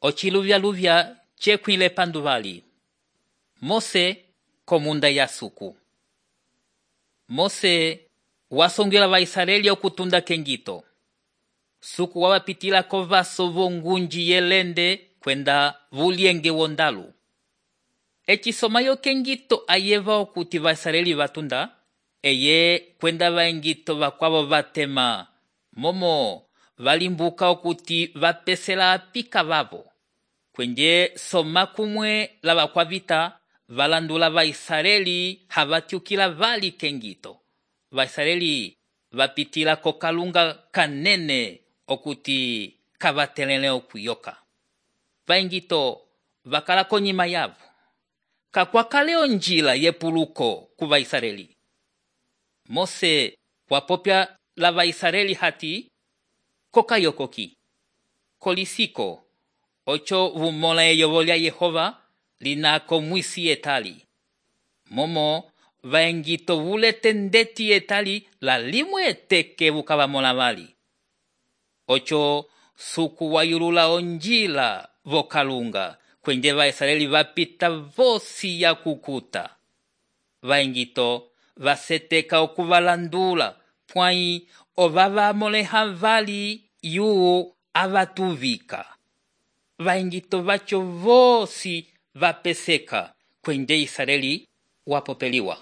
ociluvya-luvya cekwile panduvali. Mose komunda ya suku. Mose wasongela Vaisraeli okutunda kengito. Suku wawapitila kovaso vongunji yelende kwenda vulienge wondalu. Ecisomayo kengito ayeva okuti Vaisraeli vatunda, eye kwenda vaengito vakwavo vatema, momo valimbuka okuti vapesela apika vavo. Kwenye soma kumwe la vakwavita valandula Vaisraeli havatiukila vali kengito. Vaisraeli vapitila kokalunga kanene okuti kavatelele okuyoka. Vaengito vakala konyima yavo. Kakwakaleo njila yepuluko ku Vaisraeli. Mose wapopya la Vaisraeli hati kokayokoki. Kolisiko ocho vumola eyovo lya Yehova linako mwisi etali. Momo vaengito vulete ndeti etali la limwe eteke vukavamola vali. Ocho suku wayulula onjila vokalunga kwenye Vaisraeli vapita vosi ya kukuta. Vaengito vaseteka okuvalandula pwai ovavamoleha vali yu avatuvika. Vaengito vacho vosi vapeseka kwenye Israeli wapopeliwa.